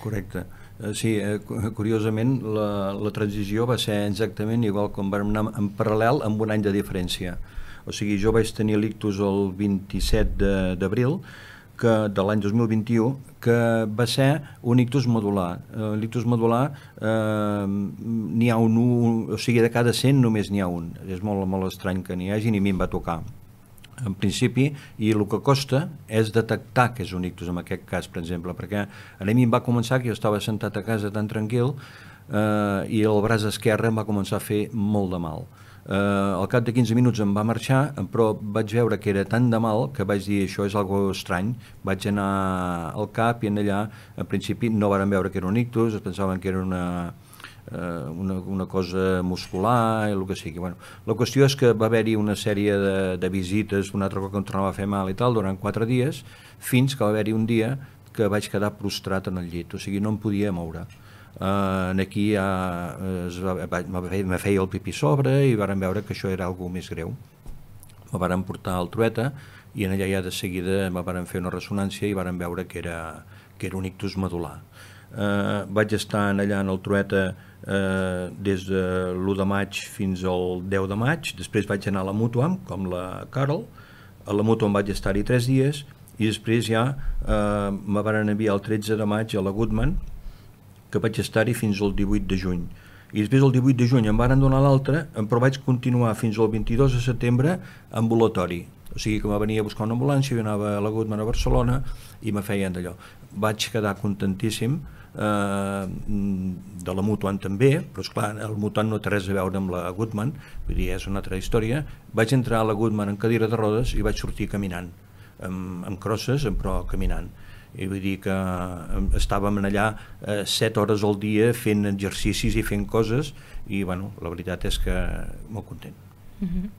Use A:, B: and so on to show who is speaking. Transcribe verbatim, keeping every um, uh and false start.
A: Correcte. Sí, curiosament la, la transició va ser exactament igual com vam anar en paral·lel amb un any de diferència. O sigui, jo vaig tenir l'ictus el vint-i-set d'abril de l'any dos mil vint-i-u, que va ser un ictus modular. Uh, l'ictus modular uh, n'hi ha un, un, o sigui, de cada cent només n'hi ha un. És molt, molt estrany que n'hi hagi, ni a mi em va tocar en principi, i el que costa és detectar que és un ictus en aquest cas, per exemple, perquè a mi em va començar que jo estava sentat a casa tan tranquil eh, i el braç esquerre em va començar a fer molt de mal. Eh, al cap de quinze minuts em va marxar, però vaig veure que era tan de mal que vaig dir això és algo estrany. Vaig anar al cap i en allà, en principi, no varen veure que era un ictus, es pensaven que era una... Una, una cosa muscular, el que sigui. Bueno, la qüestió és que va haver-hi una sèrie de, de visites, un altre cop que em tornava a fer mal i tal, durant quatre dies, fins que va haver-hi un dia que vaig quedar prostrat en el llit, o sigui, no em podia moure. Uh, aquí ja es va, me feia el pipí sobre i varen veure que això era alguna més greu. Me varen portar al Trueta i en allà ja de seguida me varen fer una ressonància i varen veure que era, que era un ictus medular. Uh, vaig estar allà en el Trueta Uh, des de l'u de maig fins al deu de maig, després vaig anar a la Mútua, com la Carol, a la Mútua vaig estar-hi tres dies i després ja uh, me van enviar el tretze de maig a la Goodman, que vaig estar-hi fins al divuit de juny, i després el divuit de juny em van donar l'altra, però vaig continuar fins al vint-i-dos de setembre ambulatori, o sigui que me venia a buscar una ambulància, jo anava a la Goodman a Barcelona i me feien d'allò. Vaig quedar contentíssim, Uh, de la Mutuant també, però esclar, el Mutuant no té res a veure amb la Goodman, vull dir, és una altra història. Vaig entrar a la Goodman en cadira de rodes i vaig sortir caminant, amb, amb crosses, però caminant. I vull dir que estàvem allà uh, set hores al dia fent exercicis i fent coses i, bueno, la veritat és que molt content.
B: Uh-huh.